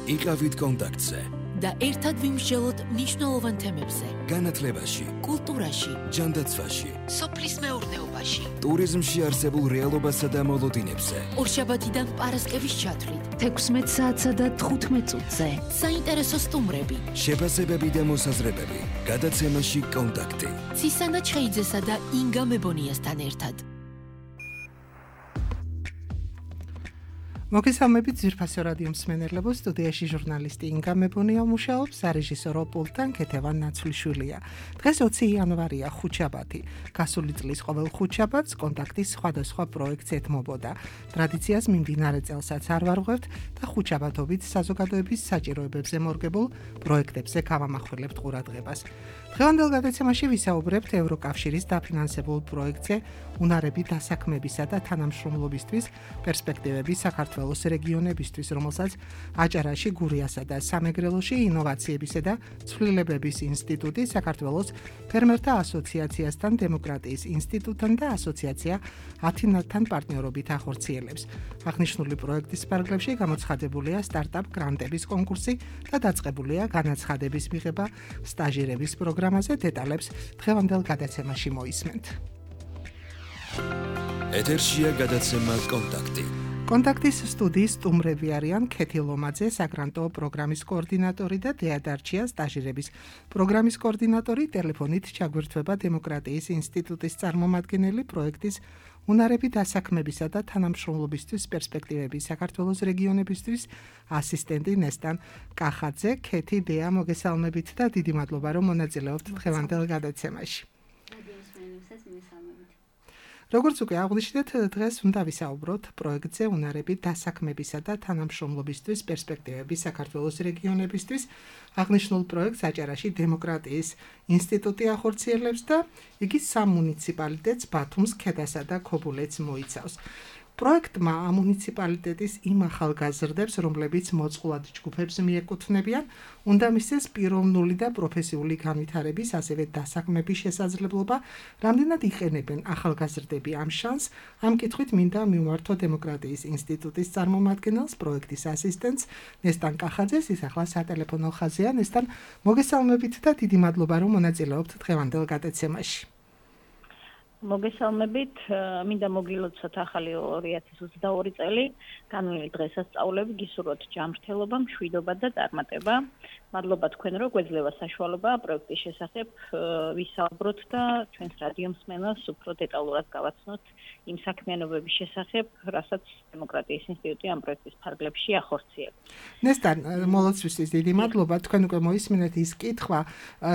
იყავით კონტაქტზე და ერთად ვიმსჯელოთ მნიშვნელოვან თემებზე. განათლებაში, კულტურაში, ჯანდაცვაში, სოფლის მეურნეობაში, ტურიზმში არსებულ რეალობასა და მოლოდინებზე. ორშაბათიდან პარასკევის ჩათვლით 16 საათსა და 15 წუთზე. საინტერესო სტუმრები, შეფასებები და მოსაზრებები. გადაცემაში კონტაქტი. ცისანა ჩხეიძესა და ინგა მებონიასთან ერთად. მოგესალმებით ძვირფასო რადიო მსმენელებო, სტუდიაში ჟურნალისტი ინგა მებონია მუშაობს, სარეჟისორო პულტთან ქეთევან ნაცვლიშვილია. დღეს 20 იანვარია, ხუთშაბათი. გასული წლის ყოველ ხუთშაბათს კონტაქტის სხვადასხვა პროექტს ეთმობოდა. ტრადიციას მიმდინარე წელსაც არ ვარღვევთ და ხუთშაბათობით საზოგადოების საჭიროებებზე მორგებულ პროექტებზე გავამახვილებთ ყურადღებას. დღევანდელ გადაცემაში ვისაუბრებთ ევროკავშირის დაფინანსებულ პროექტზე უნარები დასაქმებისა და თანამშრომლობისთვის პერსპექტივები საქართველოს რეგიონებისთვის, რომელსაც აჭარაში, გურიასა და სამეგრელოში ინოვაციებისა და ცვლილებების ინსტიტუტი, საქართველოს ფერმერთა ასოციაციასთან, დემოკრატიის ინსტიტუტთან და ასოციაცია ათინათთან პარტნიორობით ახორციელებს. აღნიშნული პროექტის ფარგლებში გამოცხადებულია სტარტაპ გრანტების კონკურსი და დაწყებულია განაცხადების მიღება სტაჟირების პროგრამაზე. დეტალებს დღევანდელ გადაცემაში მოისმენთ. ეთერშია გადაცემა კონტაქტი. კონტაქტის სტუდიის სტუმრები არიან ქეთი ლომაძე, საგრანტო პროგრამის კოორდინატორი და დეა დარჩია, სტაჟირების პროგრამის კოორდინატორი. ტელეფონით ჩაგვირთვება დემოკრატიის ინსტიტუტის წარმომადგენელი, პროექტის უნარები დასაქმებისა და თანამშრომლობისთვის პერსპექტივები საქართველოს რეგიონებისთვის ასისტენტი ნესტან კახაძე. ქეთი, დეა, მოგესალმებით და დიდი მადლობა, რომ მონაწილეობთ დღევანდელ გადაცემაში. როგორც უკვე აღვნიშნეთ, დღეს უნდა ვისაუბროთ პროექტზე უნარები დასაქმებისა და თანამშრომლობისთვის პერსპექტივები საქართველოს რეგიონებისთვის. აღნიშნულ პროექტს აჭარაში დემოკრატიის ინსტიტუტი ახორციელებს და იგი სამ მუნიციპალიტეტს, ბათუმს, ქედასა და ქობულეთს მოიცავს. პროექტმა ამუნიციპალიტეტის იმ ახალგაზრდებს, რომლებიც მოწყვლად ჯგუფებს მიეკუთვნებიან, უნდა მისცეს პიროვნული და პროფესიული განვითარების, ასევე დასაქმების შესაძლებლობა. რამდენად იყენებენ ახალგაზრდები ამ შანსს, ამ კითხვით მინდა მივმართო დემოკრატიის ინსტიტუტის წარმომადგენელს, პროექტის ასისტენტს ნესტან კახაძეს. ის ახლა სატელეფონო ხაზია. ნესტან, მოგესალმებით და დიდი მადლობა, რომ მონაწილეობთ დღევანდელ გადაცემაში. მოგესალმებით, მინდა მოგილოცოთ ახალი 2022 წელი, განვლილი დღესასწაულები, გისურვოთ ჯანმრთელობა, მშვიდობა და წარმატება. მადლობა თქვენ, რომ გვეძლევა საშუალება პროექტის შესახებ ვისაუბროთ და ჩვენს რადიო მსმენელს უფრო დეტალურად გავაცნოთ იმ საქმიანობების შესახებ, რასაც დემოკრატიის ინსტიტუტი ამ პროექტის ფარგლებში ახორციელებს. ნესტან, მოლოცვისთვის დიდი მადლობა. თქვენ უკვე მოისმინეთ ის კითხვა,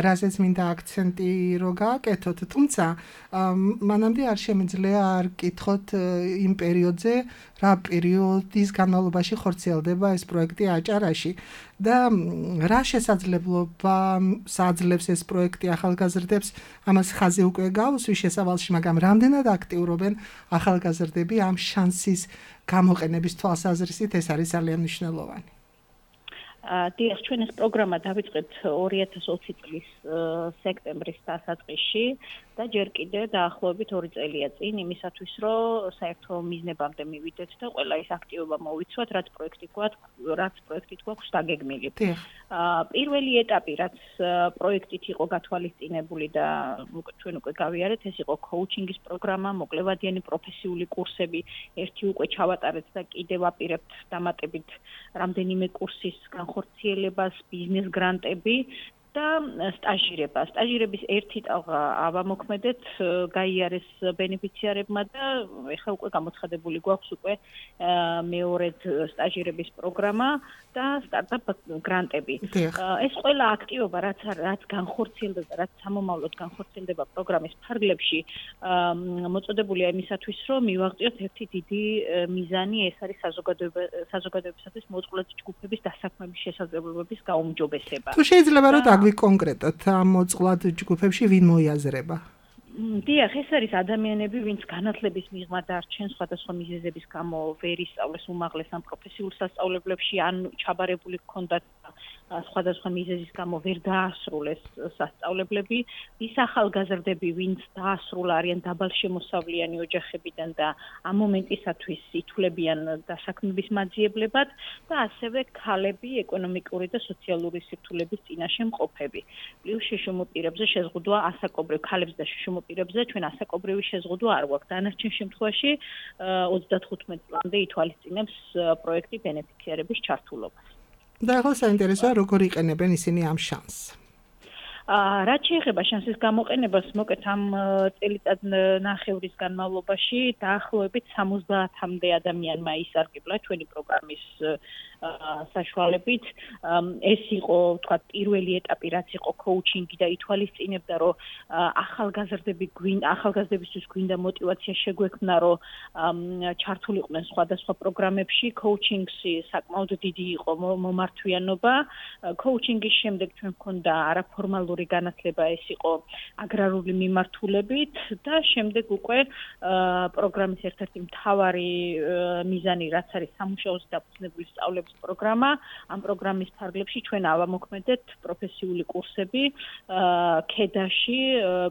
რაზეც მინდა აქცენტი რო გააკეთოთ, თუმცა მანამდე არ შემიძლია არ კითხოთ იმ პერიოდზე, რა პერიოდის განმავლობაში ხორციელდება ეს პროექტი აჭარაში და რა შესაძლებლობა საძლევს ეს პროექტი ახალგაზრდებს, ამას ხაზი უკვე გაუსვი შესავალში, მაგრამ რამდენად აქტიურობენ ახალგაზრდები ამ შანსის გამოყენების თვალსაზრისით, ეს არის ძალიან მნიშვნელოვანი. დიახ, ჩვენ ეს პროგრამა დავიწყეთ 2020 წლის სექტემბრის დასაწყისში და ჯერ კიდევ დაახლოებით 2 წელია წინ იმისათვის, რომ საერთო მიზნებამდე მივიდეთ და ყველა ის აქტივობა მოვიცვათ, რაც პროექტით გვაქვს დაგეგმილი. პირველი ეტაპი, რაც პროექტით იყო გათვალისწინებული და ჩვენ უკვე გავიარეთ, ეს იყო კოუჩინგის პროგრამა, მოკლევადიანი პროფესიული კურსები, ერთი უკვე ჩავატარეთ და კიდევ ვაპირებთ დამატებით რამდენიმე კურსის განხორციელებას, ბიზნეს გრანტები და სტაჟირება. სტაჟირების ერთი ტალღა ავამოქმედეთ, გაიარეს ბენეფიციარებმა და ეხლა უკვე გამოცხადებული გვაქვს უკვე მეორედ სტაჟირების პროგრამა და სტარტაპ გრანტები. ეს ყველა აქტივობა, რაც განხორციელდა და რაც სამომავლოდ განხორციელდება პროგრამის ფარგლებში, მოწოდებულია იმისათვის, რომ მივაღწიოთ ერთი დიდი მიზანი, ეს არის საზოგადოებისათვის მოწყვლად ჯგუფების დასაქმების შესაძლებლობების გაუმჯობესება. თუ შეიძლება რომ დაგვიკონკრეტოთ ამ მოწყვლად ჯგუფებში ვინ მოიაზრება? დიახ, ეს არის ადამიანები, ვინც განათლების მიღმა დარჩენ სხვადასხვა მიზეზების გამო ვერ ისწავლეს უმაღლეს ან პროფესიულ სასწავლებლებში, ან ჩაბარებული ჰქონდათ სხვადასხვა მიზეზის გამო ვერ დაასრულეს სასწავლებლები, ის ახალგაზრდები, ვინც დაასრულა არიან დაბალშემოსავლიანი ოჯახებიდან და ამ მომენტისათვის ითვლებიან დასაქმების მაძიებლებად და ასევე ქალები ეკონომიკური და სოციალური სირთულების წინაშე მყოფები. პლუს შიშუმოპირებზე შეზღუდვა ასაკობრივ ქალებს და შიშუმოპირებზე ჩვენ ასაკობრივი შეზღუდვა არ გვაქვს. დანარჩენ შემთხვევაში 35 წლამდე ითვალისწინებს პროექტი ბენეფიციარების ჩართულობას. და ახლა საინტერესოა როგორ იყენებენ ისინი ამ შანსს. რაც შეეხება შანსის გამოყენებას, მოკეთ ამ წელიწად ნახევრის განმავლობაში დაახლოებით 70-მდე ადამიანმა ისარგებლა ჩვენი პროგრამის საშუალებით. ეს იყო, თქვათ, პირველი ეტაპი, რაც იყო კოუჩინგი და ითვალისწინებდა, რომ ახალგაზრდებისთვის გვინდა მოტივაცია შეგვექმნა, რომ ჩართულიყვნენ სხვადასხვა პროგრამებში. კოუჩინგში საკმაოდ დიდი იყო მომართვიანობა. კოუჩინგის შემდეგ ჩვენ გვქონდა არაფორმალური განათლება, ეს იყო აგრარული მიმართულებით და შემდეგ უკვე პროგრამის ერთ-ერთი მთავარი მიზანი, რაც არის სამუშაოზე დაფუძნებული სწავლების პროგრამა. ამ პროგრამის ფარგლებში ჩვენ ავამოქმედეთ პროფესიული კურსები ქედაში,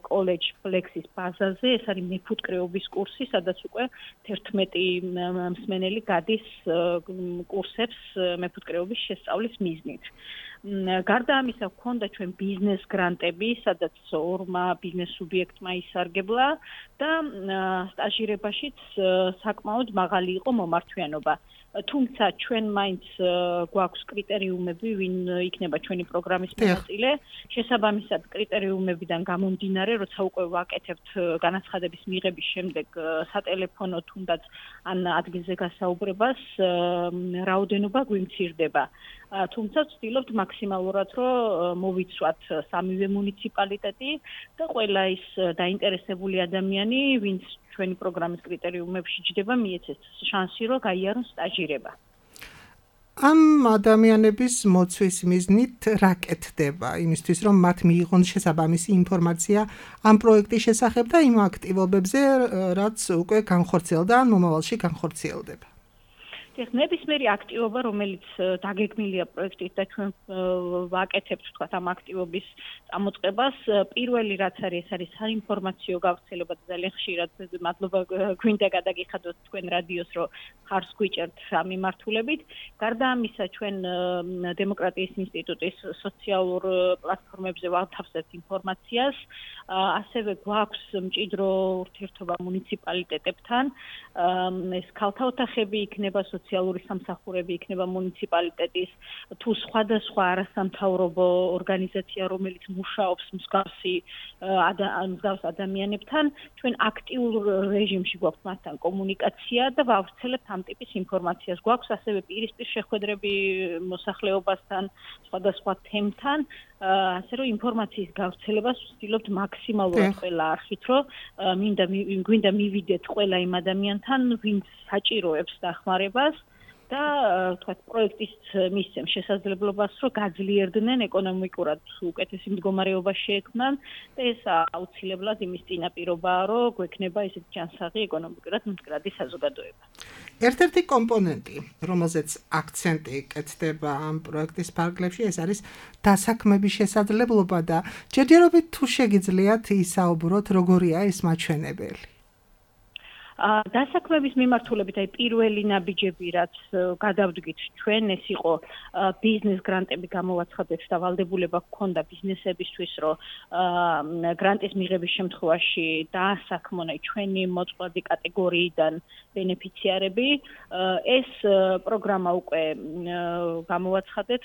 კოლეჯ ფლექსის ბაზაზე. ეს არის მეფუტკრეობის კურსი, სადაც უკვე 11 მსმენელი გადის კურსებს მეფუტკრეობის შესწავლის მიზნით. გარდა ამისა, გვქონდა ჩვენ ბიზნეს გრანტები, სადაც ორმა ბიზნეს სუბიექტმა ისარგებლა და სტაჟირებაშიც საკმაოდ მაღალი იყო მომართვიანობა. თუმცა ჩვენ მაინც გვაქვს კრიტერიუმები, ვინ იქნება ჩვენი პროგრამის მონაწილე. შესაბამისად კრიტერიუმებიდან გამომდინარე, როცა უკვე ვაკეთებთ განაცხადების მიღების შემდეგ სატელეფონო თუნდაც ან ადგილზე გასაუბრებას, რაოდენობა გვიმცირდება. თუმცა ვცდილობთ მაქსიმალურად, რომ მოვიცვათ სამივე მუნიციპალიტეტი და ყველა ის დაინტერესებული ადამიანი, ვინც ჩვენი პროგრამის კრიტერიუმებში ჯდება, მიეცეს შანსი, რომ გაიარონ სტაჟირება. ამ ადამიანების მოცვის მიზნით რა კეთდება იმისთვის, რომ მათ მიიღონ შესაბამისი ინფორმაცია ამ პროექტის შესახებ და იმ აქტივობებზე, რაც უკვე განხორციელდა ან მომავალში განხორციელდება. ნებისმიერი აქტივობა, რომელიც დაგეგმილია პროექტით და ჩვენ ვაკეთებთ, თქვათ, ამ აქტივობის წამოწყებას, პირველი რაც არის, ეს არის საინფორმაციო გავრცელება და ძალიან ხშირად მადლობა გვინდა გადაგიხადოთ თქვენ რადიოს, რომ ხარს გვიჭერთ ამ მიმართულებით. გარდა ამისა, ჩვენ დემოკრატიის ინსტიტუტის სოციალურ პლატფორმებზე ვათავსებთ ინფორმაციას, ასევე გვაქვს მჭიდრო ურთიერთობა მუნიციპალიტეტებთან. ეს ქალთა ოთახები იქნება, სოციალური სამსახურები იქნება მუნიციპალიტეტის, თუ სხვადასხვა არასამთავრობო ორგანიზაცია, რომელიც მუშაობს მსგავს ადამიანებთან, ჩვენ აქტიურ რეჟიმში გვაქვს მასთან კომუნიკაცია და ვავრცელებთ ამ ტიპის ინფორმაციას. გვაქვს ასევე პირისპირ შეხვედრები მოსახლეობასთან, სხვადასხვა თემთან, ასე რომ ინფორმაციის გავრცელებას ვცდილობთ მაქსიმალურად ყველა არხით, რომ გვინდა მივიდეთ ყველა იმ ადამიანთან, ვინც საჭიროებს დახმარებას და თქვათ პროექტის მისცემს შესაძლებლობას, რომ გაძლიერდნენ ეკონომიკურად უკეთესი მდგომარეობა შეექმნან და ეს აუცილებლად იმის წინაპირობაა, რომ გვექნება ესეთი ჯანსაღი ეკონომიკურად მდგრადი საზოგადოება. ერთ-ერთი კომპონენტი, რომელზეც აქცენტი კეთდება ამ პროექტის ფარგლებში, ეს არის დასაქმების შესაძლებლობა და ჯერჯერობით თუ შეგიძლიათ ისაუბროთ, როგორია ეს მაჩვენებელი. დასაქმების მიმართულებით, აი პირველი ნაბიჯები, რაც გადავდგით ჩვენ, ეს იყო ბიზნეს გრანტები გამოვაცხადეთ და ვალდებულება გქონდა ბიზნესებისთვის, რომ გრანტის მიღების შემთხვევაში დაასაქმონ ჩვენი მოწყვლადი კატეგორიიდან ბენეფიციარები. ეს პროგრამა უკვე გამოვაცხადეთ,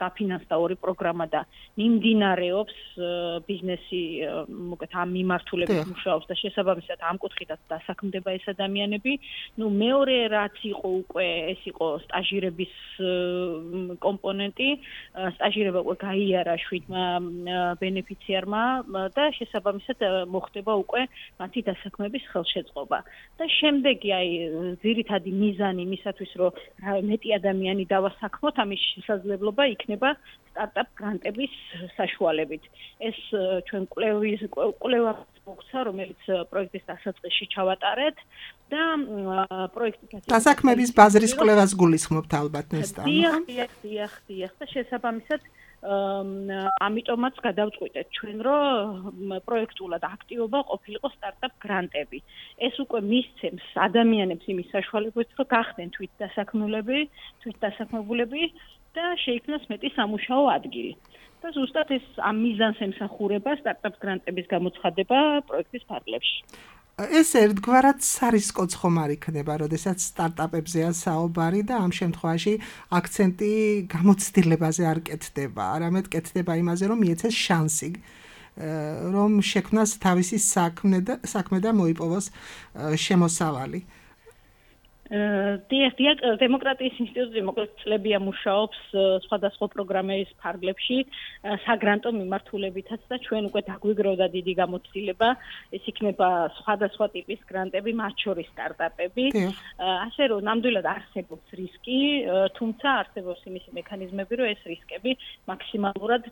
დაფინანსდა ორი პროგრამა და მიმდინარეობს ბიზნესი, მოკეთ ამ მიმართულებით მუშაობს და შესაბამისად ამ კუთხითაც დასაქმდება ეს ადამიანები. მეორე რაც იყო უკვე, ეს იყო სტაჟირების კომპონენტი. სტაჟირება უკვე გაიარა 7-მა ბენეფიციარმა და შესაბამისად მოხდება უკვე მათი დასაქმების ხელშეწყობა. და შემდეგი აი ძირითადი მიზანი იმისათვის, რომ მეტი ადამიანი დავასაქმოთ, ამის შესაძლებლობა იქნება სტარტაპ გრანტების საშუალებით. ეს ჩვენ კვლევა მოგცა, რომელიც პროექტის დასაწყისში ჩავატარეთ და პროექტის დასაქმების ბაზრის კვლევას გულისხმობთ ალბათ ნესტა. დიახ და შესაბამისად ამიტომაც გადავწყვიტეთ ჩვენ, რომ პროექტულად აქტივობა ყოფილიყო სტარტაპ გრანტები. ეს უკვე მისცემს ადამიანებს იმის საშუალებებს, რომ გახდნენ თვითდასაქმებულები და შეიქმნას მეტი სამუშაო ადგილი. და ზუსტად ეს ამ მიზანს ემსახურება სტარტაპ გრანტების გამოცხადება პროექტის ფარგლებში. ეს ერთგვარად სარისკოც ხომ არ იქნება, როდესაც სტარტაპებზეა საუბარი და ამ შემთხვევაში აქცენტი გამოცდილებაზე არ კეთდება, არამედ კეთდება იმაზე, რომ მიეცეს შანსი, რომ შექმნას თავისი საქმე და მოიპოვოს შემოსავალი. დემოკრატიის ინსტიტუტი მოკლედ მუშაობს სხვადასხვა პროგრამების ფარგლებში საგრანტო მიმართულებითაც და ჩვენ უკვე დაგვიგროვდა დიდი გამოცდილება. ეს იქნება სხვადასხვა ტიპის გრანტები, მათ შორის სტარტაპები. ასე რომ ნამდვილად არსებობს რისკი, თუმცა არსებობს იმისი მექანიზმები, რომ ეს რისკები მაქსიმალურად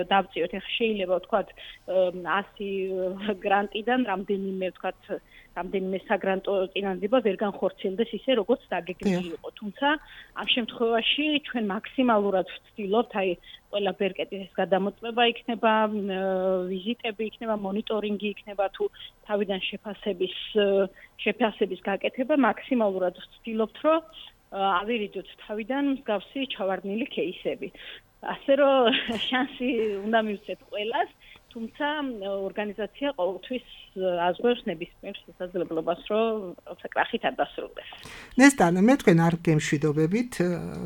დავწიოთ. ეხლა შეიძლება ვთქვათ 100 გრანტიდან რამდენიმე საგრანტო წინადადება ვერ განხორციელდეს ისე, როგორც დაგეგმილი იყო. თუმცა ამ შემთხვევაში ჩვენ მაქსიმალურად ვცდილობთ, ყველა ბერკეტის გადამოწმება იქნება, ვიზიტები იქნება, მონიტორინგი იქნება თუ თავიდან შეფასების გაკეთება, მაქსიმალურად ვცდილობთ, რომ ავირიძოთ თავიდან მსგავსი ჩავარდნილი кейსები. ასე რომ შანსი უნდა მივცეთ ყველას, თუმცა ორგანიზაცია ყოველთვის აზღვევს ნებისმიერ შესაძლებლობას, რომ საკრახით არ დასრულდეს. ნესტან, მე თქვენ არ გემშვიდობებით,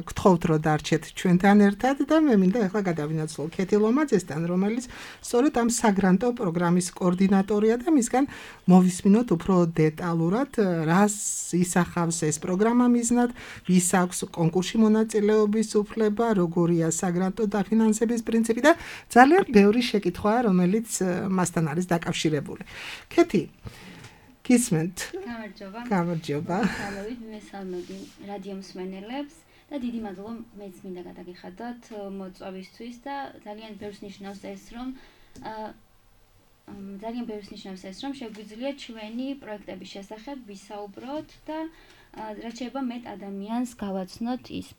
გთხოვთ, რომ დარჩეთ ჩვენთან ერთად და მე მინდა ახლა გადავინაცვლო ქეთი ლომაძესთან, რომელიც სწორედ ამ საგრანტო პროგრამის კოორდინატორია და მისგან მოვისმინოთ უფრო დეტალურად, რას ისახავს ეს პროგრამა მიზნად, ვის აქვს კონკურსში მონაწილეობის უფლება, როგორია საგრანტო დაფინანსების პრინციპი და ძალიან ბევრი შეკითხვაა, რომელიც მასთან არის დაკავშირებული. ქეთი, გისმენთ? გამარჯობა. მესალმები რადიო მსმენელებს და დიდი მადლობა მეც მინდა გადაგიხადოთ მოწვევისთვის და ძალიან ბევრს ნიშნავს ეს, რომ შეგვიძლია ჩვენი პროექტების შესახებ ვისაუბროთ და რაც შეიძლება მეტ ადამიანს გავაცნოთ ის.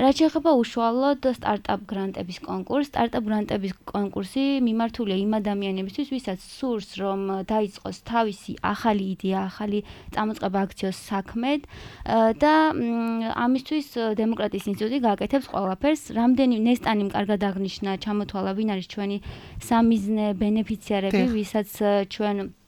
რაც შეეხება უშუალოდ სტარტაპ გრანტების კონკურსს, სტარტაპ გრანტების კონკურსი მიმართულია იმ ადამიანებისთვის, ვისაც სურს, რომ დაიწყოს თავისი ახალი იდეა, ახალი წამოწყება აქციოს საქმედ და ამისთვის დემოკრატიის ინსტიტუტი გააკეთებს ყველაფერს. რამდენი ნესტანიმ კარგად აღნიშნა, ჩამოთვალა, ვინ არის ჩვენი სამიზნე ბენეფიციარები, ვისაც ჩვენ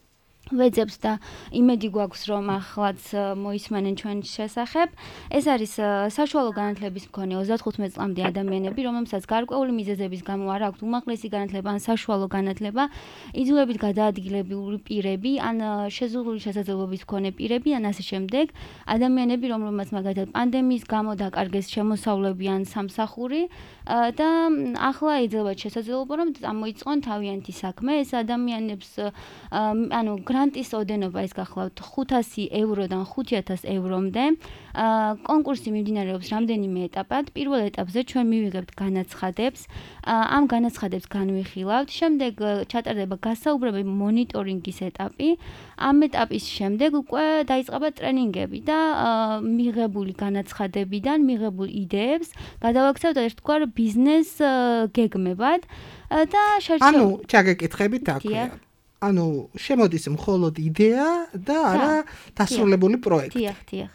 ვეძებს და იმედი გვაქვს, რომ ახლაც მოისმენენ ჩვენ შესახებ. ეს არის საშუალო განათლების მქონე 35 წლამდე ადამიანები, რომელსაც გარკვეული მიზეზების გამო არ აქვთ უმაღლესი განათლება ან საშუალო განათლება, იძულებით გადაადგილებული პირები, ან შეზღუდული შესაძლებლობის მქონე პირები, ან ასე შემდეგ, ადამიანები, რომლებმაც მაგალითად პანდემიის გამო დაკარგეს შემოსავლები ან სამსახური და ახლა ეძლებათ შესაძლებლობა, რომ წამოიწყონ თავიანთი საქმე. ეს ადამიანებს გრანტის ოდენობა ეს გახლავთ 500 ევროდან 5000 ევრომდე. კონკურსი მიმდინარეობს რამდენიმე ეტაპად. პირველ ეტაპზე ჩვენ მივიღებთ განაცხადებს. ამ განაცხადებს განვიხილავთ. შემდეგ ჩატარდება გასაუბრებელი მონიტორინგის ეტაპი. ამ ეტაპის შემდეგ უკვე დაიწყება ტრენინგები და მიღებული განაცხადებიდან მიღებულ იდეებს გადავაქცევთ ერთგვარ ბიზნეს გეგმებად და ანუ ჩაგეკითხებით აქვე. ანუ შემოდის მხოლოდ იდეა და არა დასრულებული პროექტი. დიახ.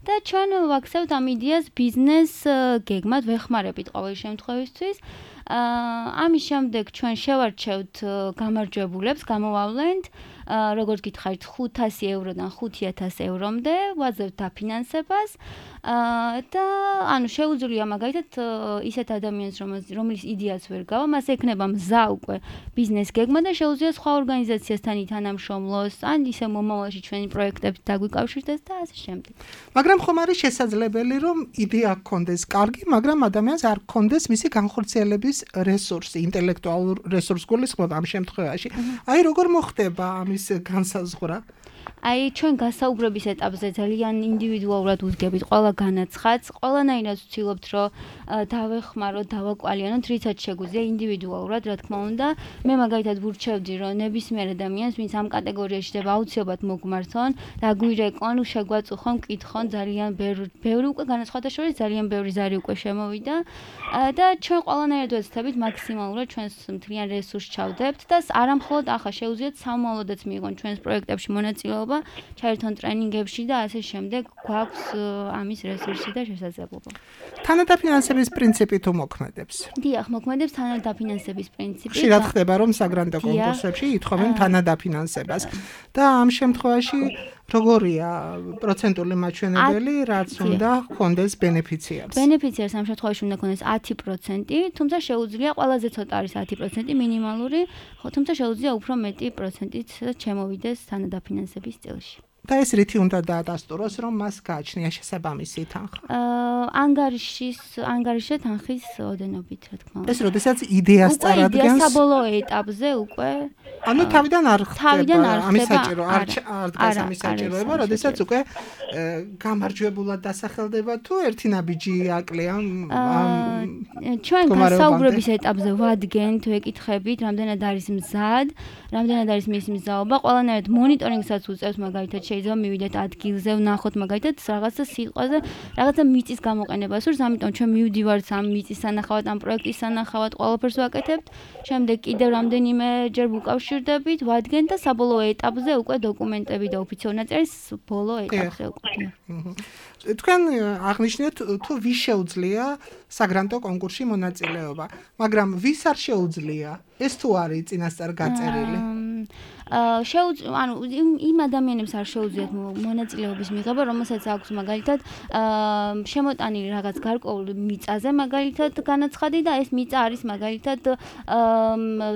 და ჩვენ ვაქცევთ ამ იდეას ბიზნეს გეგმად, ვეხმარებით ყოველ შემთხვევისთვის. ამის შემდეგ ჩვენ შევარჩევთ გამარჯვებულებს, გამოვავლენთ როგორც გითხარით 500 ევროდან 5000 ევრომდე, ვაძლევთ დაფინანსებას და ანუ შეუძლია მაგალითად ისეთ ადამიანს, რომელიც იდეაც ვერ გავა, მას ექნება მზა უკვე ბიზნეს გეგმა და შეუძლია სხვა ორგანიზაციასთან ითანამშრომლოს, ან ისე მომავალში ჩვენი პროექტებით დაგვიკავშირდეს და ასე შემდეგ. მაგრამ ხომ არის შესაძლებელი, რომ იდეა გქონდეს კარგი, მაგრამ ადამიანს არ გქონდეს მისი განხორციელების რესურსი, ინტელექტუალურ რესურს გულისხმობ ამ შემთხვევაში. აი როგორ მოხდება ამის განსაზღვრა? აი ჩვენ გასაუბრების ეტაპზე ძალიან ინდივიდუალურად უდგებით ყველა განაცხადს, ყველანაირად ვცდილობთ რომ დავეხმაროთ, დავაკვალიანოთ, რითაც შეგვიძლია ინდივიდუალურად, რა თქმა უნდა. მე მაგალითად ვურჩევდი რომ ნებისმიერ ადამიანს, ვინც ამ კატეგორიაში შეიძლება აუცილებლად მოგმართონ, დაგვირეკონ, შეგვაწუხონ, მკითხონ, ძალიან ბევრი უკვე განაცხადა შორის ძალიან ბევრი ზარი უკვე შემოვიდა და ჩვენ ყველანაირად ვეცდებით მაქსიმალურად ჩვენს მთლიან რესურსს ჩავდებთ და არამხოლოდ ახლა შეუძლიათ სამომავლოდაც მიიღონ ჩვენს პროექტებში მონაწილეობა, ჩაერთონ ტრენინგებში და ასე შემდეგ გვაქვს ამის რესურსი და შესაძლებლობა. თანადაფინანსების პრინციპი თუ მოქმედებს? დიახ, მოქმედებს თანადაფინანსების პრინციპი. ხშირად ხდება რომ საგრანტო კონკურსებში ითხოვენ თანადაფინანსებას და ამ შემთხვევაში როგორია პროცენტული მაჩვენებელი, რაც უნდა ჰქონდეს ბენეფიციარს? ბენეფიციარს ამ შემთხვევაში უნდა ჰქონდეს 10%, თუმცა შეუძლია ყველაზე ცოტა არის 10% მინიმალური, თუმცა შეუძლია უფრო მეტი პროცენტით შემოვიდეს თანადაფინანსების წილში. და ეს რითი უნდა დაადასტუროს, რომ მას გააჩნია შესაბამისი თანხა? ანგარიშზე თანხის ოდენობით, რა თქმა უნდა. ეს როდესაც იდეას წარადგენს? იდეა საბოლოო ეტაპზე უკვე. ანუ თავიდან არ ხდება ამის საჭირო, არ დგას ამის საჭიროება, როდესაც უკვე გამარჯვებულად დასახელდება თუ ერთი ნაბიჯი აკლია ჩვენ გასაუბრების ეტაპზე ვადგენთ, ვეკითხებით, რამდენად არის მზად, რამდენად არის მისი მზაობა, ყველანაირად მონიტორინგსაც უწევს, მაგალითად შეიძლება მივიდეთ ადგილზე, ვნახოთ მაგალითად რაღაცა სიტყვაზე, რაღაცა მიწის გამოყენებას სურს, ამიტომ ჩვენ მივდივართ ამ მიწის სანახავად, ამ პროექტის სანახავად, ყველაფერს ვაკეთებთ. შემდეგ კიდევ რამდენიმე ჯერ ვუკავშირდებით, ვადგენთ და საბოლოო ეტაპზე უკვე დოკუმენტები და ოფიციალური ნაწერის ბოლო ეტაპზე უკვე. თქვენ აღნიშნეთ თუ ვის შეუძლია საგრანტო კონკურსში მონაწილეობა, მაგრამ ვის არ შეუძლია? ეს თუ არის წინასწარ გაწერილი? ანუ იმ ადამიანებს არ შეუძლიათ მონაწილეობის მიღება, რომელსაც აქვს მაგალითად შემოტანილი რაღაც გარკვეულ მიწაზე მაგალითად განაცხადი და ეს მიწა არის მაგალითად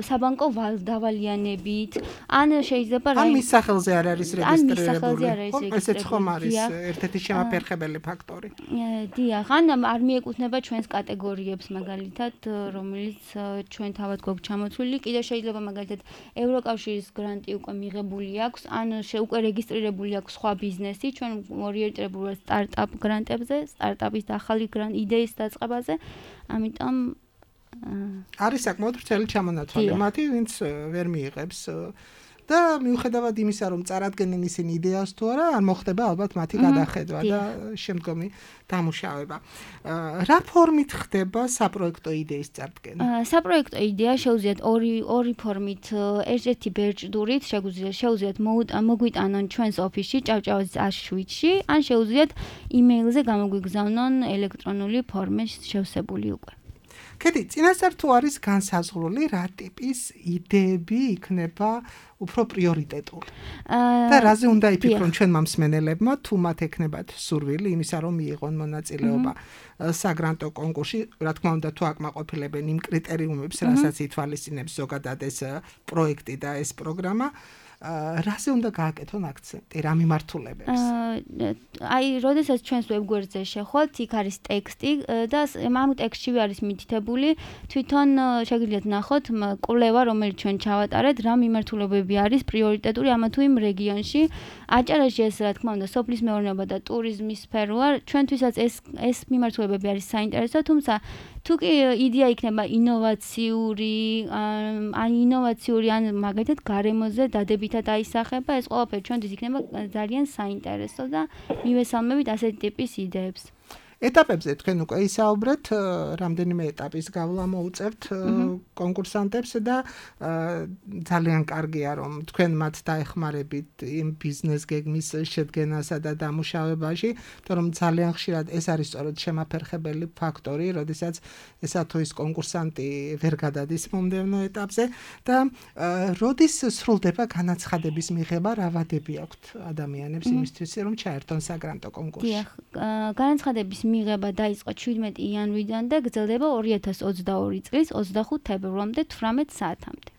საბანკო დავალიანებით, ან შეიძლება ან მის სახელზე არ არის რეგისტრირებული. ესეც ხომ არის ერთ-ერთი შემაფერხებელი ფაქტორი. დიახ, ან არ მიეკუთვნება ჩვენს კატეგორიებს მაგალითად, რომელიც ჩვენ თავად გვაქვს ჩამოთვლილი, კიდევ შეიძლება მაგალითად ევროკავშირის გრანტი უკვე მიღებული აქვს, ან უკვე რეგისტრირებული აქვს სხვა ბიზნესი, ჩვენ ორიენტირებული ვართ სტარტაპ გრანტებზე, სტარტაპის ახალი იდეის დაწყებაზე, ამიტომ არის საკმაოდ ვრცელი ჩამონათვალი მათი, ვინც ვერ მიიღებს და მიუხედავად იმისა, რომ წარადგენენ ისინი იდეას თუ არა, არ მოხდება ალბათ მათი გადახედვა და შემდგომი დამუშავება. რა ფორმით ხდება საპროექტო იდეის წარდგენა? საპროექტო იდეა შეუძლიათ ორი ფორმით, ერთ-ერთი ბერჭდურით შეუძლიათ მოგვიტანონ ჩვენს ოფისში, ჭავჭავაძის 107-ში, ან შეუძლიათ იმეილზე გამოგვიგზავნონ ელექტრონული ფორმის შევსებული უკვე. კედი, წინასწარ თუ არის განსაზღვრული, რა ტიპის იდეები იქნება უფრო პრიორიტეტული? და რაზე უნდა იფიქრონ ჩვენმა მსმენელებმა, თუ მათ ექნებათ სურვილი იმისა, რომ მიიღონ მონაწილეობა საგრანტო კონკურსში, რა თქმა უნდა, თუ აკმაყოფილებენ იმ კრიტერიუმებს, რასაც ითვალისწინებს ზოგადად ეს პროექტი და ეს პროგრამა, რაზე უნდა გააკეთონ აქცენტი, რა მიმართულებებს? აი, როდესაც ჩვენს ვებგვერდზე შეხვალთ, იქ არის ტექსტი და ამ ტექსტში არის მითითებული თვითონ შეგიძლიათ ნახოთ კვლევა, რომელიც ჩვენ ჩავატარეთ, რა მიმართულებები არის პრიორიტეტული ამა თუ იმ რეგიონში. აჭარაში ეს, რა თქმა უნდა, სოფლის მეურნეობა და ტურიზმის სფეროა. ჩვენთვისაც ეს მიმართულებები არის საინტერესო, თუმცა თუ კი იდეა იქნება ინოვაციური, ან მაგალითად გარემოზე დადებითად აისახება, ეს ყველაფერი ჩვენთვის იქნება ძალიან საინტერესო და მივესალმებით ასეთი ტიპის იდეებს. ეტაპებზე თქვენ უკვე ისაუბრეთ, რამდენიმე ეტაპის გავლა მოუწევთ კონკურსანტებს და ძალიან კარგია, რომ თქვენ მათ დაეხმარებით იმ ბიზნეს გეგმის შედგენასა და დამუშავებაში, თორემ ძალიან ხშირად ეს არის სწორედ შემაფერხებელი ფაქტორი, როდესაც ესა თუ ის კონკურსანტი ვერ გადადის მომდევნო ეტაპზე და როდის სრულდება განაცხადების მიღება, რა ვადები აქვთ ადამიანებს იმისთვის, რომ ჩაერთონ საგრანტო კონკურსში? დიახ, განაცხადების მიღება დაიწყო 17 იანვრიდან და გრძელდება 2022 წლის 25 თებერვლამდე 18 საათამდე.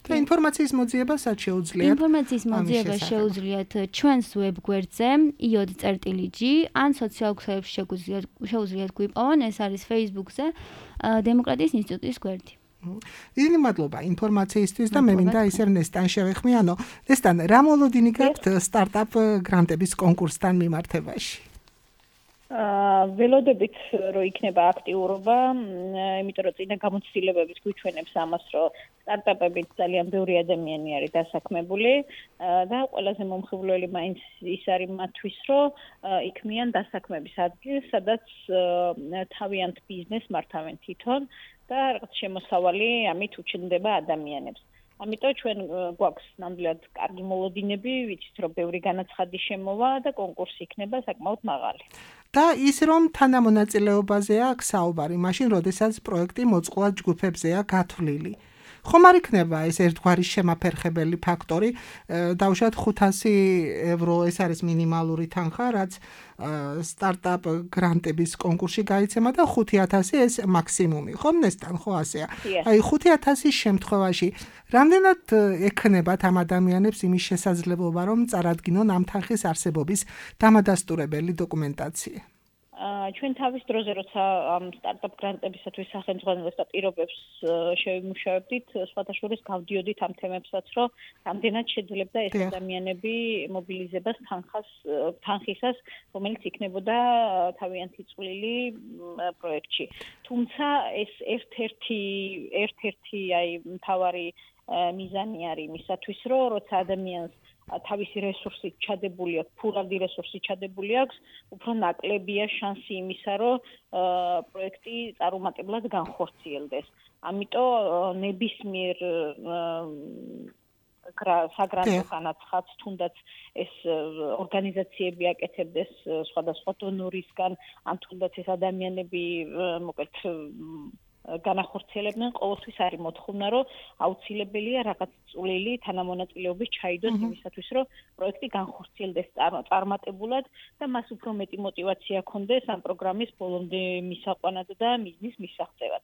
და ინფორმაციის მოძიება სად შეუძლიათ? ინფორმაციის მოძიება შეუძლიათ ჩვენს ვებგვერდზე iod.g ან სოციალურ ქსელებში შეუძლიათ გვიპოვონ, ეს არის Facebook-ზე დემოკრატიის ინსტიტუტის გვერდი. დიდი მადლობა ინფორმაციისთვის და მე მინდა ისევ ნესტან შევეხმიანო. ნესტან, რა მოლოდინი გაქვთ სტარტაპ გრანტების კონკურსთან მიმართებაში? ველოდებით რომ იქნება აქტიურობა, იმიტომ რომ წინა გამოცდილებებით გვიჩვენებს ამას, რომ სტარტაპებით ძალიან ბევრი ადამიანი არის დასაქმებული და ყველაზე მომხიბვლელი მაინც ის არის მათთვის, რომ იქმნიან დასაქმების ადგილს, სადაც თავიანთ ბიზნესს მართავენ თვითონ და რაღაც შემოსავალი ამით უჩნდება ადამიანებს. ამიტომ ჩვენ გვაქვს ნამდვილად კარგი მოლოდინები, ვიცით რომ ბევრი განაცხადი შემოვა და კონკურსი იქნება საკმაოდ მაღალი. და ის რომ თანამონაწილეობაზეა აქ საუბარი, მაშინ როდესაც პროექტი მოწყვლად ჯგუფებზეა გათვლილი. ხომ არ იქნება ეს ერთგვარი შემაფერხებელი ფაქტორი, დავუშვათ 500 ევრო ეს არის მინიმალური თანხა, რაც სტარტაპ გრანტების კონკურსში გაიცემა და 5000 ეს მაქსიმუმი. ხომ ნესტან, ხო ასეა? აი 5000-ის შემთხვევაში რამდენად ექნებათ ამ ადამიანებს იმის შესაძლებლობა, რომ წარადგინონ ამ თანხის არსებობის დამადასტურებელი დოკუმენტაცია? ჩვენ თავის დროზე როცა ამ სტარტაპ გრანტებისათვის სახელმძღვანელოს და პირობებს შევიმუშავებდით, სხვათა შორის გავდიოდით ამ თემებსაც, რომ რამდენად შეძლებდა ეს ადამიანები მობილიზებას თანხისას, რომელიც იქნებოდა თავიანთი წვლილი პროექტში. თუმცა ეს ერთ-ერთი აი მთავარი მიზანი არის იმისათვის, რომ როცა ადამიანს თავისი რესურსი ჩადებული აქვს, ფურავდი რესურსი ჩადებული აქვს, უფრო ნაკლებია შანსი იმისა, რომ პროექტი წარუმატებლად განხორციელდეს. ამიტომ ნებისმიერ საგრანტო განაცხადს, თუნდაც ეს ორგანიზაციები აკეთებდეს სხვადასხვა დონორისგან, ან თუნდაც ეს ადამიანები მოკლედ განახორციელებდნენ, ყოველთვის არის მოთხოვნა, რომ აუცილებელია რაღაც წვლილი თანამონაწილეობის ჩაიდოს იმისათვის, რომ პროექტი განხორციელდეს წარმატებულად და მას უფრო მეტი мотиваცია ჰქონდეს ამ პროგრამის ბოლომდე მისაყვანად და მიზნის მისაღწევად.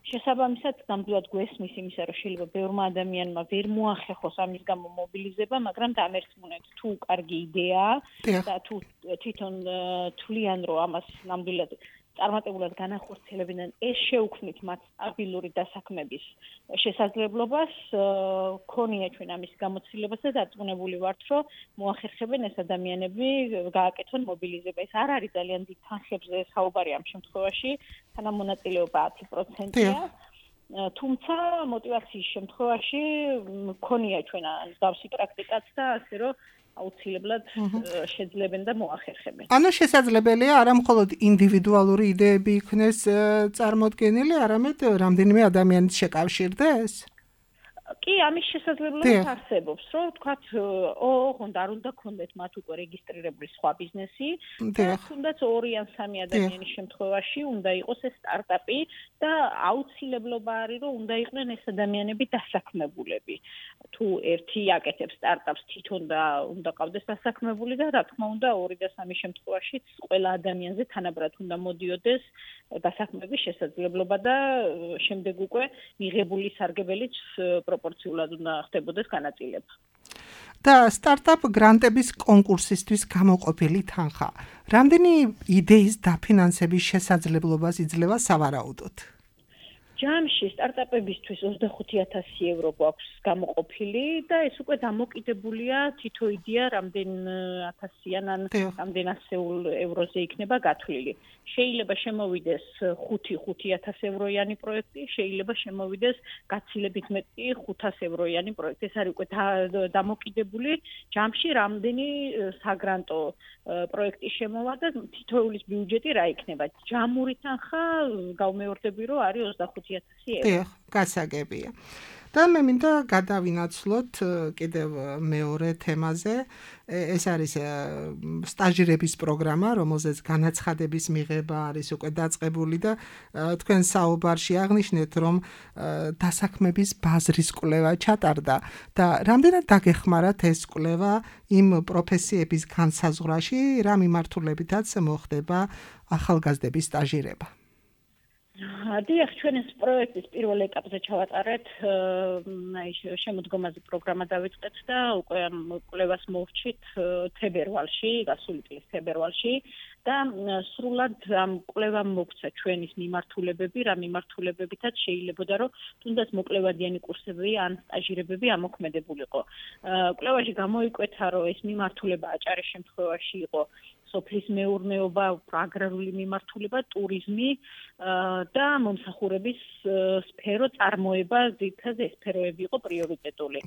შესაბამისად, ნამდვილად გვესმის იმისა, რომ შეიძლება ბევრმა ადამიანმა ვერ მოახერხოს ამის გამო მობილიზება, მაგრამ დამერწმუნეთ, თუ კარგი იდეაა და თუ თვითონ თვლიან, რომ ამას ნამდვილად წარმატებულად განახორციელებდნენ, ეს შეუქმნით მათ სტაბილური დასაქმების შესაძლებლობას, ქონია ჩვენ ამის გამოცდილებას და დარწმუნებული ვართ, რომ მოახერხებენ ეს ადამიანები გააკეთონ მობილიზება. ეს არ არის ძალიან დიდ თანხებზე საუბარი ამ შემთხვევაში, თანამონაწილეობა 10%-ია. თუმცა мотиваციის შემთხვევაში ქონია ჩვენ მსგავსი პრაქტიკაც და ასე რომ აუცილებლად შეძლებენ და მოახერხებენ. ანუ შესაძლებელია არა მხოლოდ ინდივიდუალური იდეები იქნეს წარმოდგენილი, არამედ რამდენიმე ადამიანის შეკავშირდეს? კი, ამის შესაძლებლობა არსებობს, რომ თქვათ, ოღონდ არ უნდა გქონდეთ მათ უკვე რეგისტრირებული სხვა ბიზნესი, და თუნდაც 2 ან 3 ადამიანის შემთხვევაში უნდა იყოს ეს სტარტაპი და აუცილებლობა არის, რომ უნდა იყვნენ ეს ადამიანები დასაქმებულები. თუ ერთი აკეთებს სტარტაპს თვითონ და უნდა ყავდეს დასაქმებული და რა თქმა უნდა 2 და 3 შემთხვევაშიც ყველა ადამიანზე თანაბრად უნდა მოდიოდეს დასაქმების შესაძლებლობა და შემდეგ უკვე მიღებული სარგებელიც პროპორციულად უნდა ხდებოდეს განაწილება. და სტარტაპ გრანტების კონკურსისთვის გამოყოფილი თანხა. რამდენი იდეის დაფინანსების შესაძლებლობას იძლევა სავარაუდოდ? ჯამში სტარტაპებისთვის 25000 ევრო გვაქვს გამოყოფილი და ეს უკვე დამოკიდებულია თითო იდეა რამდენ ათასიან ან რამდენ ასეულ ევროზე იქნება გათვლილი. შეიძლება შემოვიდეს 5-5000 ევროიანი პროექტი, შეიძლება შემოვიდეს გაცილებით მეტი 500 ევროიანი პროექტი. ეს არის უკვე დამოკიდებული ჯამში რამდენი საგრანტო პროექტი შემოვა და თითოეულის ბიუჯეტი რა იქნება. ჯამური თანხა გავმეორდები რომ არის 25000 ევრო. გასაგებია. და მე მინდა გადავინაცვლოთ კიდევ მეორე თემაზე. ეს არის სტაჟირების პროგრამა, რომელზეც განაცხადების მიღება არის უკვე დაწყებული და თქვენ საუბარში აღნიშნეთ, რომ დასაქმების ბაზრის კვლევა ჩატარდა და რამდენად დაგეხმარათ ეს კვლევა იმ პროფესიების განსაზღვრაში, რა მიმართულებითაც მოხდება ახალგაზრდების სტაჟირება. დიახ, ჩვენ ეს პროექტის პირველ ეტაპზე ჩავატარეთ, შემოდგომაზე პროგრამა დავიწყეთ და უკვე ამ კვლევას მოვჭით თებერვალში, გასული წლის თებერვალში და სრულად ამ კვლევამ მოგვცა ჩვენის მიმართულებები, რა მიმართულებებითაც შეიძლებოდა რომ თუნდაც მოკლევადიანი კურსები ან სტაჟირებები ამოქმედებულიყო. კვლევაში გამოიკვეთა რომ ეს მიმართულება აჭარის შემთხვევაში იყო სოფლის მეურნეობა, აგრარული მიმართულება, ტურიზმი და მომსახურების სფერო წარმოება, ძირითადად ეს სფეროები იყო პრიორიტეტული.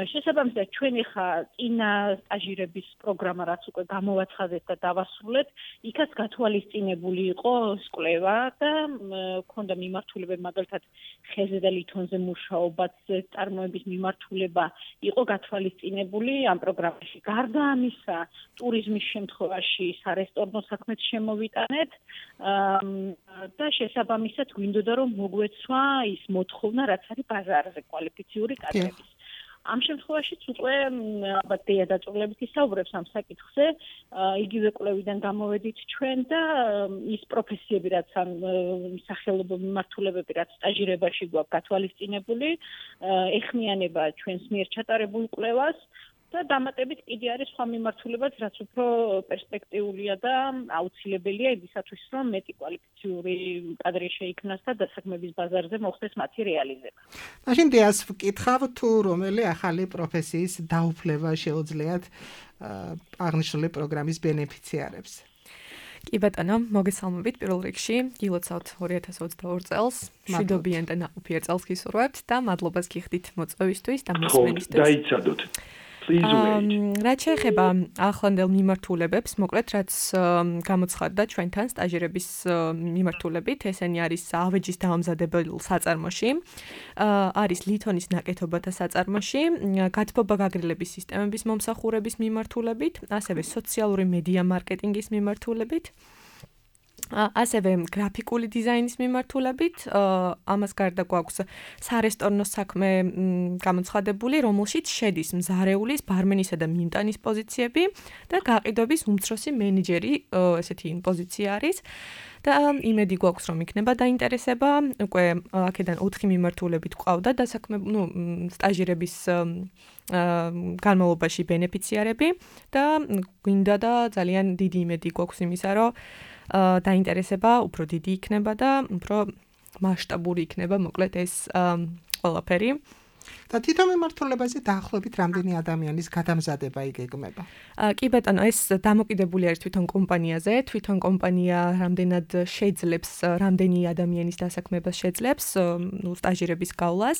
შესაბამისად, ჩვენი ხა წინა სტაჟირების პროგრამა რაც უკვე გამოვაცხადეთ და დავასრულეთ, იქაც გათვალისწინებული იყო კვლევა და ქონდა მიმართულებები, მაგალითად, ხეზე და ლითონზე მუშაობაც წარმოების მიმართულება იყო გათვალისწინებული ამ პროგრამაში. გარდა ამისა, ტურიზმის შემთხვევაში სარესტორნო საქმეც შემოვიტანეთ და შესაბამისად გვინდოდა რომ მოგვეცვა ის მოთხოვნა რაც არის ბაზარზე კვალიფიციური კადრების. ამ შემთხვევაშიც უკვე ალბათ დეა დაწვრილებით ისაუბრებს ამ საკითხზე, იგივე კვლევიდან გამოვედით ჩვენ და ის პროფესიები რაც ამ სახელმწიფო მიმართულებები რაც სტაჟირებაში გვაქვს გათვალისწინებული, ეხმიანება ჩვენს მიერ ჩატარებულ კვლევას და დამატებით კიდე არის სხვა მიმართულებაც, რაც უფრო პერსპექტიულია და აუცილებელია იმისათვის, რომ მეტი კვალიფიციური კადრი შეიქმნას და დასაქმების ბაზარზე მოხდეს მათი რეალიზება. მაშინ დიას ვკითხავ, თუ რომელი ახალი პროფესიის დაუფლება შეუძლიათ აღნიშნული პროგრამის ბენეფიციარებს. კი ბატონო, მოგესალმებით პირველ რიგში, გილოცავთ 2022 წელს, მშვიდობიან და ნაყოფიერ წელს გისურვებთ და მადლობას გიხდით მოწვევისთვის და მოსმენისთვის. დაიცადოთ. რაც შეეხება ახლანდელ მიმართულებებს, მოკლედ რაც გამოცხადდა ჩვენთან სტაჟირების მიმართულებით, ესენი არის ავეჯის დაამზადებელ საწარმოში, არის ლითონის ნაკეთობათა საწარმოში, გათბობა გაგრილების სისტემების მომსახურების მიმართულებით, ასევე სოციალური მედია მარკეტინგის მიმართულებით. ასევე გრაფიკული დიზაინის მიმართულებით, ამას გარდა გვაქვს სარესტორნო საქმე გამოცხადებული, რომელშიც შედის მზარეულის, ბარმენისა და მინტანის პოზიციები და გაყიდვების უმცროსი მენეჯერი, ესეთი პოზიცია არის. და იმედი გვაქვს რომ იქნება დაინტერესება, უკვე აქედან 4 მიმართულებით ყავდა დასაქმე, სტაჟირების განმავლობაში ბენეფიციარები და გვინდა და ძალიან დიდი იმედი გვაქვს იმისა, რომ დაინტერესება უფრო დიდი იქნება და უფრო მასშტაბური იქნება, მოკლედ ეს ყველაფერი. და თვითონ მიმართულებაზე დაახლოებით რამდენი ადამიანის გადამზადება იგეგმება? კი ბატონო, ეს დამოკიდებული არის თვითონ კომპანიაზე, თვითონ კომპანია რამდენად შეძლებს, რამდენი ადამიანის დასაქმებას შეძლებს, სტაჟირების გავლას.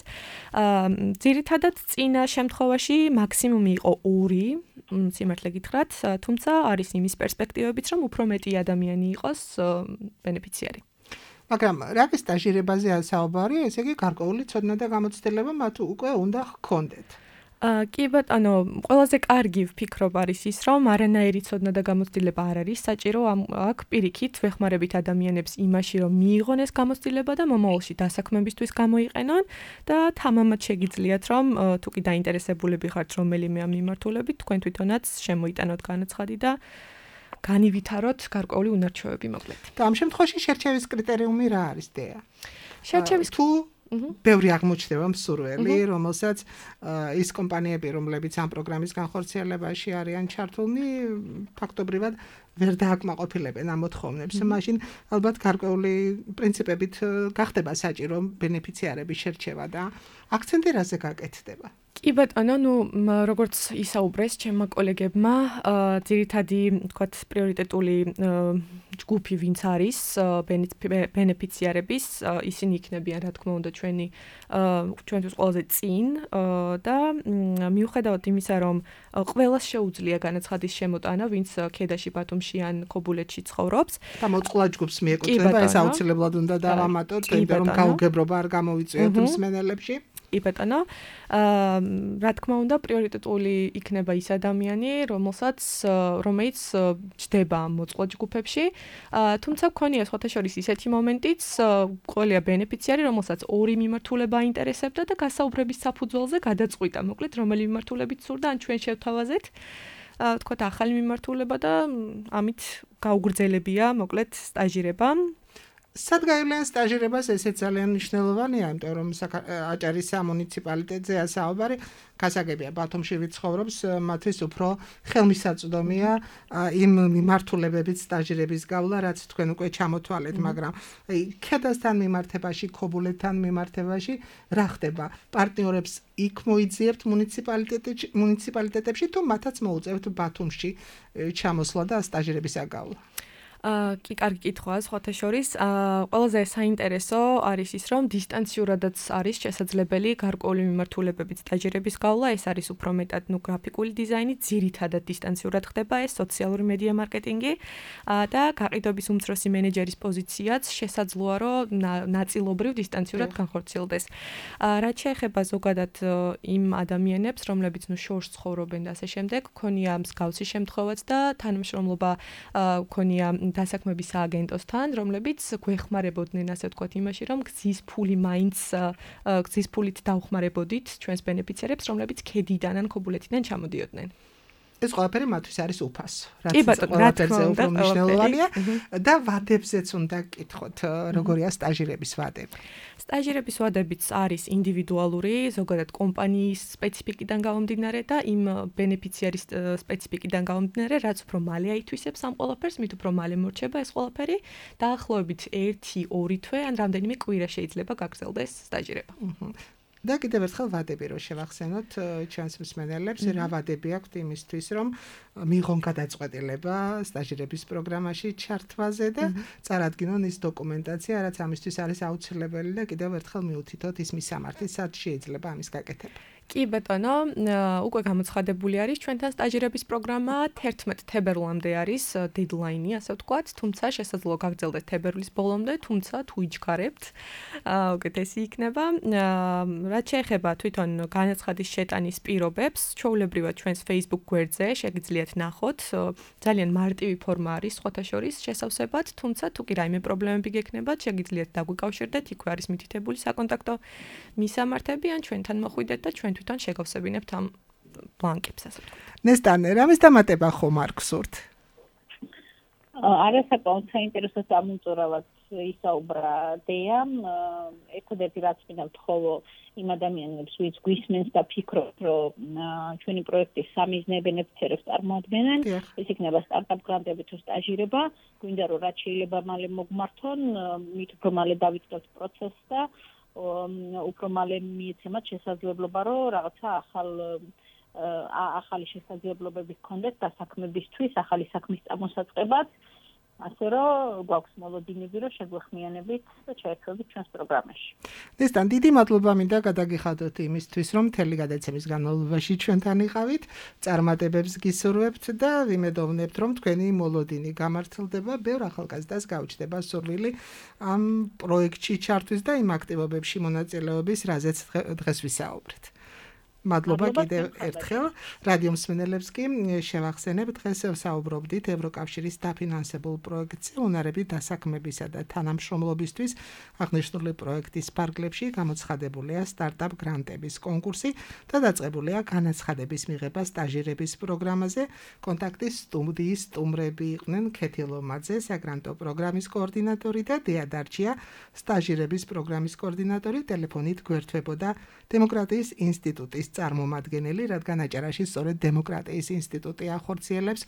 ძირითადად წინა შემთხვევაში მაქსიმუმი იყო 2, სიმართლე გითხრათ, თუმცა არის იმის პერსპექტივებიც, რომ უფრო მეტი ადამიანი იყოს ბენეფიციარი. მაგრამ რაკის სტაჟირებაზე საუბარი, ესე იგი გარკვეული ცოდნა და გამოცდილება მათ უკვე უნდა ჰქონდეთ. კი ბატონო, ყველაზე კარგი ვფიქრობ არის ის, რომ არანაირი ცოდნა და გამოცდილება არ არის საჭირო, აქ პირიქით ვეხმარებით ადამიანებს იმაში, რომ მიიღონ ეს გამოცდილება და მომავალში დასაქმებისთვის გამოიყენონ და თამამად შეგიძლიათ, რომ თუ კი დაინტერესებულები ხართ რომელიმე ამ მიმართულებით, თქვენ თვითონაც შემოიტანოთ განაცხადი და განივითაროთ გარკვეული უნარჩვევები მოკლედ. და ამ შემთხვევაში შერჩევის კრიტერიუმი რა არის დეა? შერჩევის თუ ბევრი აღმოჩნდება მსურველი, რომელსაც ის კომპანიები, რომლებიც ამ პროგრამის განხორციელებაში არიან ჩართულნი, ფაქტობრივად ვერ დააკმაყოფილებენ ამ მოთხოვნებს. მაშინ ალბათ გარკვეული პრინციპებით გახდება საჭირო ბენეფიციარების შერჩევა და აქცენტი რაზე გაკეთდება? კი ბატონო, როგორც ისაუბრეს ჩემმა კოლეგებმა, ძირითადი, თქვათ, პრიორიტეტული ჯგუფი ვინც არის ბენეფიციარების, ისინი იქნებიან, რა თქმა უნდა, ჩვენთვის ყველაზე წინ და მიუხედავად იმისა, რომ ყველას შეუძლია განაცხადის შემოტანა, ვინც ქედაში, ბათუმში ან ქობულეთში ცხოვრობს. და მოწყვლად ჯგუფს მიეკუთვნება, ეს აუცილებლად უნდა დავამატოთ, იმიტომ რომ გაუგებრობა არ გამოვიწვიოთ მსმენელებში. კი ბატონო, რა თქმა უნდა, პრიორიტეტული იქნება ის ადამიანი, რომელიც ჯდება მოწყვლად ჯგუფებში. თუმცა გქონია სხვათა შორის ისეთი მომენტიც, ყოლია ბენეფიციარი, რომელსაც 2 მიმართულება აინტერესებდა და გასაუბრების საფუძველზე გადაწყვიტა, მოკლედ, რომელი მიმართულებით სურდა, ან ჩვენ შევთავაზეთ, თქვათ, ახალი მიმართულება და ამით გაუგრძელებია, მოკლედ, სტაჟირება. სადგაილიან სტაჟირებას ესეც ძალიან მნიშვნელოვანია, იმიტომ რომ აჭარის სამუნიციპალიტეტზეა საუბარი, გასაგებია ბათუმში ვიცხოვრობს, მათთვის უფრო ხელმისაწვდომია იმ მიმართულებებით სტაჟირების გავლა, რაც თქვენ უკვე ჩამოთვალეთ, მაგრამ ქედასთან მიმართებაში, ქობულეთთან მიმართებაში რა ხდება? პარტნიორებს იქ მოიძიებთ მუნიციპალიტეტებში თუ მათაც მოუწევთ ბათუმში ჩამოსვლა და სტაჟირების აგავლა? კი, კარგი კითხვაა, სხვათა შორის. ყველაზე საინტერესო არის ის, რომ დისტანციურადაც არის შესაძლებელი გარკვეული მიმართულებებით სტაჟირების გავლა, ეს არის უფრო მეტად გრაფიკული დიზაინი, ძირითადად დისტანციურად ხდება ეს სოციალური მედია მარკეტინგი და გაყიდვების უმცროსი მენეჯერის პოზიციაც შესაძლოა, რომ ნაწილობრივ დისტანციურად განხორციელდეს. რაც შეეხება ზოგადად იმ ადამიანებს, რომლებიც შორს ცხოვრობენ და ასე შემდეგ, ქონია მსგავსი შემთხვევაც და თანამშრომლობა ქონია დასაქმების სააგენტოსთან, რომლებიც გვეხმარებოდნენ, ასე ვთქვათ, იმაში, რომ გზის ფულით დავხმარებოდით ჩვენს ბენეფიციარებს, რომლებიც ქედიდან ან ქობულეთიდან ჩამოდიოდნენ. ეს ყველაფერი მათთვის არის უფასო. ყველაფერზე უფრო მნიშვნელოვანია და ვადებზეც უნდა გკითხოთ, როგორია სტაჟირების ვადები. სტაჟირების ვადებიც არის ინდივიდუალური, ზოგადად კომპანიის სპეციფიკიდან გამომდინარე და იმ ბენეფიციარის სპეციფიკიდან გამომდინარე, რაც უფრო მალე აითვისებს ამ ყველაფერს, მით უფრო მალე მორჩება ეს ყველაფერი, დაახლოებით 1-2 თვე ან რამდენიმე კვირა შეიძლება გაგრძელდეს სტაჟირება. და კიდევ ერთხელ ვადები რო შევახსენოთ ჩვენს მსმენელებს, რა ვადები აქვთ იმისთვის, რომ მიიღონ გადაწყვეტილება სტაჟირების პროგრამაში ჩართვაზე და წარადგინონ ის დოკუმენტაცია, რაც ამისთვის არის აუცილებელი და კიდევ ერთხელ მიუთითოთ ის მისამართი, სად შეიძლება ამის გაკეთება. კი ბატონო, უკვე გამოცხადებული არის ჩვენთან სტაჟირების პროგრამა 11 თებერვლამდე არის დედლაინი, ასე ვთქვათ, თუმცა შესაძლოა გაგრძელდეს თებერვლის ბოლომდე, თუმცა თუ იჩქარებთ, უკეთესი იქნება. რაც შეეხება თვითონ განაცხადის შეტანის პირობებს, ჩვეულებრივად ჩვენს Facebook გვერდზე შეგიძლიათ ნახოთ, ძალიან მარტივი ფორმა არის სხვათა შორის შესავსებად, თუმცა თუ კი რაიმე პრობლემები გექნებათ, შეგიძლიათ დაგვიკავშირდეთ, იქვე არის მითითებული საკონტაქტო მისამართები, ან ჩვენთან მოხვიდეთ და ჩვენ თვითონ შეგავსებინებთ ამ ბლანკებს, ასე ვთქვათ. ნესტანე, რამის დამატება ხომ არ გსურთ? არასაკმაოდ საინტერესო სამუწურავად ისაუბრა დეამ, ერთადერთი რაც მინდა ვთხოვო იმ ადამიანებს, ვინც გვისმენს და ფიქრობთ, რომ ჩვენი პროექტის სამიზნე ბენეფიციარებს წარმოადგენენ, ეს იქნება სტარტაპ გრანტები თუ სტაჟირება, გვინდა რომ რაც შეიძლება მალე მოგმართონ, მით უფრო მალე დავიწყებთ პროცესს და უფრო მალე მიეცემათ შესაძლებლობა, რომ რაღაცა ახალი შესაძლებლობები გქონდეთ დასაქმებისთვის, ახალი საქმის წამოსაწყებად, ასე რომ გვაქვს მოლოდინები, რომ შეგვეხმიანებით და ჩაერთვებით ჩვენს პროგრამაში. ნესტან, დიდი მადლობა მინდა გადაგიხადოთ იმისთვის, რომ მთელი გადაცემის განმავლობაში ჩვენთან იყავით, წარმატებებს გისურვებთ და ვიმედოვნებთ, რომ თქვენი მოლოდინი გამართლდება, ბევრ ახალგაზრდას გაუჩნდება სურვილი ამ პროექტში ჩართვის და იმ აქტივობებში მონაწილეობის, რაზეც დღეს ვისაუბრეთ. მადლობა კიდევ ერთხელ რადიო მსმენელებს კი შევახსენებ, დღეს საუბრობდით ევროკავშირის დაფინანსებულ პროექტზე უნარები დასაქმებისა და თანამშრომლობისთვის აღნიშნული პროექტის ფარგლებში გამოცხადებულია სტარტაპ გრანტების კონკურსი და დაწყებულია განაცხადების მიღება სტაჟირების პროგრამაზე. კონტაქტის სტუდიის სტუმრები იყვნენ ქეთი ლომაძე, საგრანტო პროგრამის კოორდინატორი და დეა დარჩია, სტაჟირების პროგრამის კოორდინატორი. ტელეფონით გვერდთვებოდა დემოკრატიის ინსტიტუტის წარმომადგენელი, რადგან აჭარაში სწორედ დემოკრატიის ინსტიტუტი ახორციელებს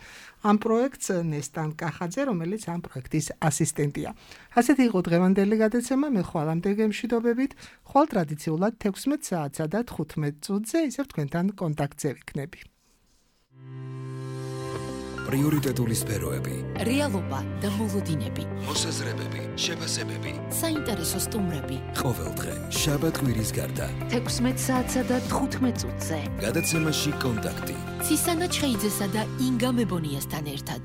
ამ პროექტს ნესტან კახაძე, რომელიც ამ პროექტის ასისტენტია. ასეთი იყო დღევანდელი გადაცემა, მე ხვალამდე გემშვიდობებით, ხვალ ტრადიციულად 16 საათსა და 15 წუთზე ისევ თქვენთან კონტაქტზე ვიქნები. პრიორიტეტული სფეროები, რეალობა და მოლოდინები, მოსაზრებები, შეფასებები, საინტერესო სტუმრები. ყოველდღე, შაბათ-კვირის გარდა, 16 საათსა და 15 წუთზე. გადაცემაში კონტაქტი. ცისანა ჩხეიძესა და ინგა მებონიასთან ერთად.